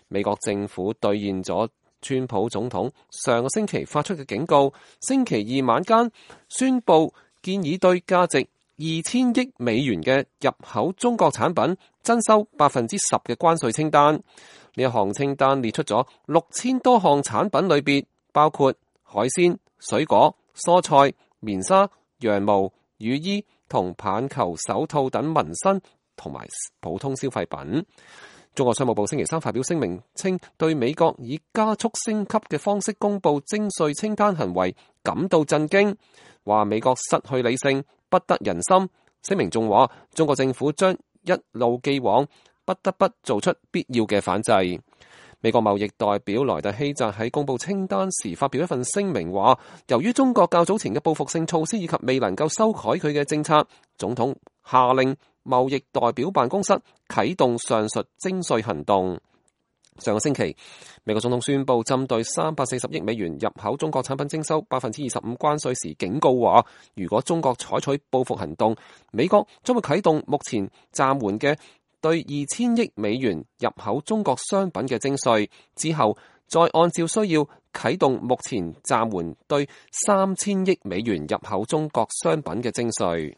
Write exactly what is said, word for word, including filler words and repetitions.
美國政府兌現咗川普總統上個星期發出嘅警告，星期二晚間宣布建議對價值二千億美元嘅入口中國產品徵收百分之十嘅關稅清單。呢一項清單列出咗六千多項產品類別，包括海鮮、水果、蔬菜、棉紗、羊毛、雨衣同棒球手套等民生同埋普通消費品。中國商務部星期三發表聲明，稱對美國以加速升級嘅方式公布徵稅清單行為感到震驚，話美國失去理性，不得人心。聲明仲話，中國政府將一路既往，不得不做出必要嘅反制。美國貿易代表萊特希澤喺公布清單時發表一份聲明，話由於中國較早前嘅報復性措施以及未能夠修改佢嘅政策，總統下令貿易代表辦公室啟動上述徵稅行動。上個星期，美國總統宣布針對三百四十億美元入口中國產品徵收百分之二十五關稅時，警告話如果中國採取報復行動，美國將會啟動目前暫緩嘅對二千億美元入口中國商品嘅徵稅，之後再按照需要啟動目前暫緩對三千億美元入口中國商品嘅徵稅。